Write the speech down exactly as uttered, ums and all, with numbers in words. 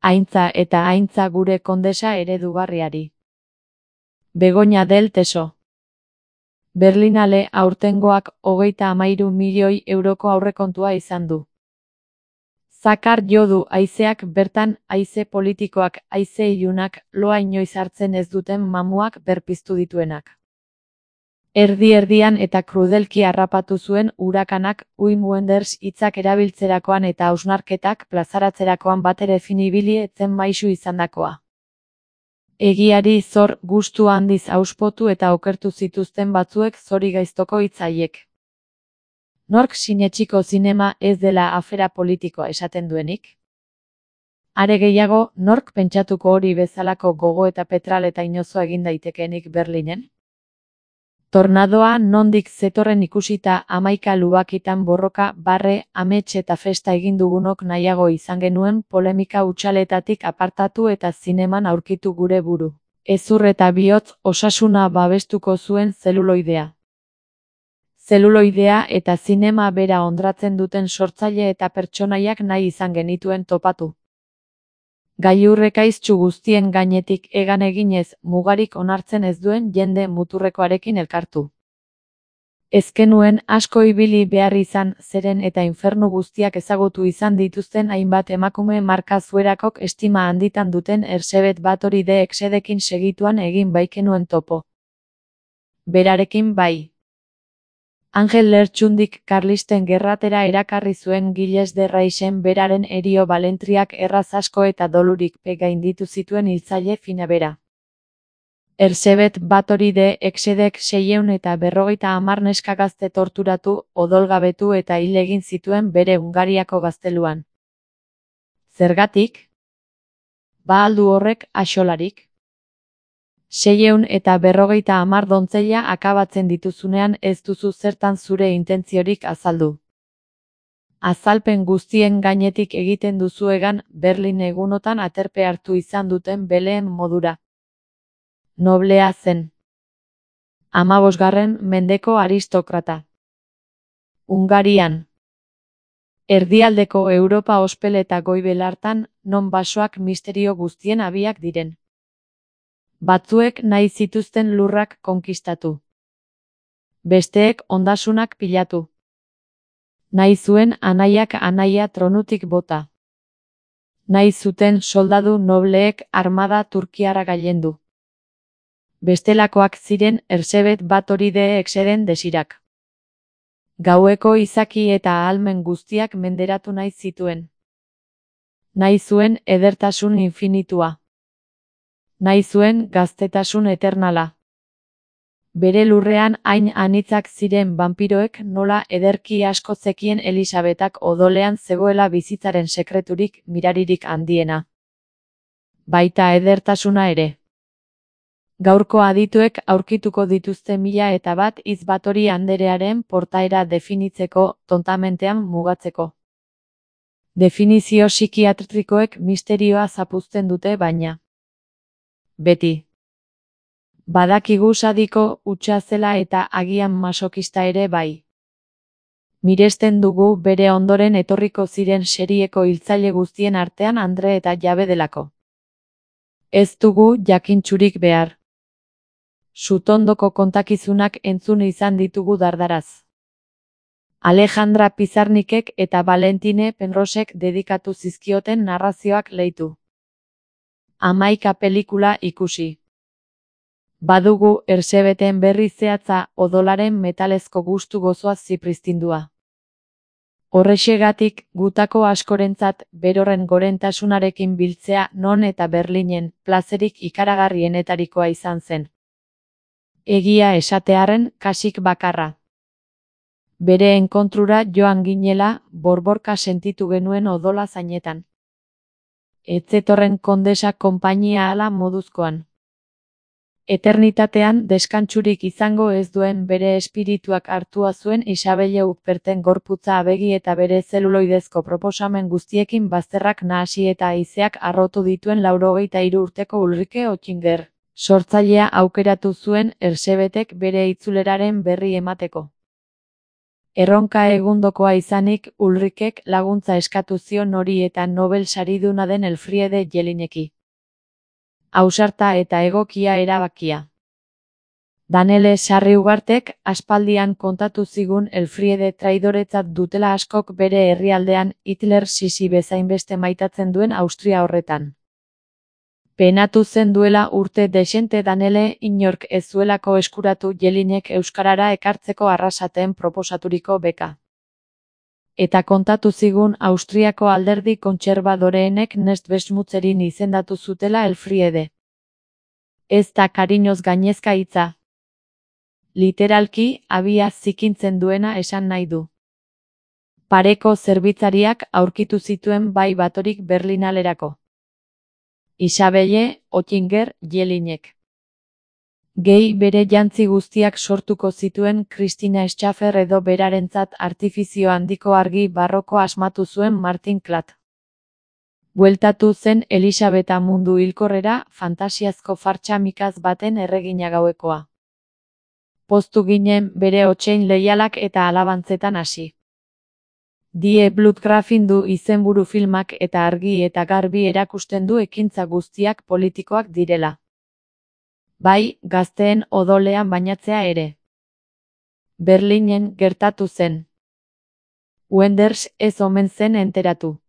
Aintza eta aintza gure kondesa eredugarriari. Begoña del Teso. Berlinale aurtengoak hogeita hamairu milioi euroko aurrekontua izan du. Zakar jo du haizeak bertan, haize politikoak, haize ilunak, loa inoiz hartzen ez duten mamuak berpiztu dituenak. Erdi-erdian eta krudelki harrapatu zuen urakanak, Wim Wenders hitzak erabiltzerakoan eta hausnarketak plazaratzerakoan batere finibili etzen maisu izandakoa. Egiari zor gustu handiz auspotu eta okertu zituzten batzuek zori gaiztoko hitz haiek. Nork sinetsiko zinema ez dela afera politikoa esaten duenik? Are gehiago, nork pentsatuko hori bezalako gogo eta petral eta inozoa egin daitekeenik Berlinen? Tornadoa nondik zetorren ikusita hamaika lubakitan borroka, barre, amets eta festa egin dugunok nahiago izan genuen polemika utxaletatik apartatu eta zineman aurkitu gure buru. Hezur eta bihotz osasuna babestuko zuen zeluloidea. Zeluloidea eta zinema bera hondratzen duten sortzaile eta pertsonaiak nahi izan genituen topatu. Gailurrekaiztsu guztien gainetik egan eginez mugarik onartzen ez duen jende muturrekoarekin elkartu. Ezkenuen asko ibili behar izan zeren eta infernu guztiak ezagutu izan dituzten hainbat emakume marka zuerakok estima handitan duten Erzsébet Báthory de Exedekin segituan egin baikenuen topo. Berarekin bai. Angel Lertxundik Karlisten gerratera erakarri zuen Gilles de Raisen beraren erio balentriak erraz asko eta dolurik gainditu zituen hiltzaile fina bera. Erzsébet Báthory de Exedek seiehun eta berrogeita hamar neska gazte torturatu, odolgabetu eta hil egin zituen bere Hungariako gazteluan. Zergatik? Ba al du horrek axolarik? Seiehun eta berrogeita hamar dontzeila akabatzen dituzunean ez duzu zertan zure intentziorik azaldu. Azalpen guztien gainetik egiten duzuegan Berlin egunotan aterpe hartu izan duten beleen modura. Noblea zen. Hamabosgarren mendeko aristokrata. Hungarian. Erdialdeko Europa ospel eta goibel hartan, non basoak misterio guztien abiak diren. Batzuek nahi zituzten lurrak konkistatu. Besteek ondasunak pilatu. Nahi zuen anaiak anaia tronutik bota. Nahi zuten soldadu nobleek armada turkiara gailendu. Bestelakoak ziren Erzsébet Báthory de Exeden desirak. Gaueko izaki eta ahalmen guztiak menderatu nahi zituen. Nahi zuen edertasun infinitua. Nahi zuen gaztetasun eternala. Bere lurrean hain anitzak ziren vampiroek nola ederki asko zekien Elisabetak odolean zegoela bizitzaren sekreturik miraririk handiena. Baita edertasuna ere. Gaurko adituek aurkituko dituzte mila eta bat hitz Báthory anderearen portaera definitzeko, tontamentean mugatzeko. Definizio psikiatrikoek misterioa zapuzten dute baina. Beti. Badakigu sadiko, hutsa zela eta agian masokista ere bai. Miresten dugu bere ondoren etorriko ziren serieko hiltzaile guztien artean andre eta jabe delako. Ez dugu jakintsurik behar. Sutondoko kontakizunak entzun izan ditugu dardaraz. Alejandra Pizarnikek eta Valentine Penrosek dedikatu zizkioten narrazioak leitu. Hamaika pelikula ikusi. Badugu Erzsébeten berri zehatza odolaren metalezko gustu gozoaz zipristindua. Horrexegatik, gutako askorentzat berorren gorentasunarekin biltzea non eta Berlinen plazerik ikaragarrienetarikoa izan zen. Egia esatearren kasik bakarra. Bere enkontrura joan ginela, borborka sentitu genuen odola zainetan. Etzetorren kondesa konpainia ala moduzkoan. Eternitatean deskantsurik izango ez duen bere espirituak hartua zuen Isabelle Huperten gorputza abegi eta bere zeluloidezko proposamen guztiekin bazterrak nahasi eta haizeak harrotu dituen laurogeita hiru urteko Ulrike Oettinger, sortzailea aukeratu zuen Erzsébetek bere itzuleraren berri emateko. Erronka egundokoa izanik, Ulrikek laguntza eskatu zion hori eta Nobel sariduna den Elfriede Jelineki. Ausarta eta egokia erabakia. Danele Sarriugartek aspaldian kontatu zigun Elfriede traidoretzat dutela askok bere herrialdean Hitler sisi bezainbeste maitatzen duen Austria horretan. Penatu zen duela urte dexente Danele inork ez zuelako eskuratu Jelinek euskarara ekartzeko arrasaten proposaturiko beka. Eta kontatu zigun Austriako alderdi kontserbadoreenek Nestbesmutzerin izendatu zutela Elfriede. Ez da kariñoz gainezka hitza. Literalki, abia zikintzen duena esan nahi du. Pareko zerbitzariak aurkitu zituen bai batorik Berlinalerako. Isabelle, Oettinger, Jelinek. Gehi bere jantzi guztiak sortuko zituen Christina Schaffer edo berarentzat artifizio handiko argi barroko asmatu zuen Martin Klatt. Bueltatu zen Elisabeta mundu hilkorrera fantasiazko fartsa mikaz baten erregina gauekoa. Poztu ginen bere hotsein leialak eta alabantzetan hasi. Die Blutgrafin du izenburu filmak eta argi eta garbi erakusten du ekintza guztiak politikoak direla. Bai, gazteen odolean bainatzea ere. Berlinen gertatu zen. Wenders ez omen zen enteratu.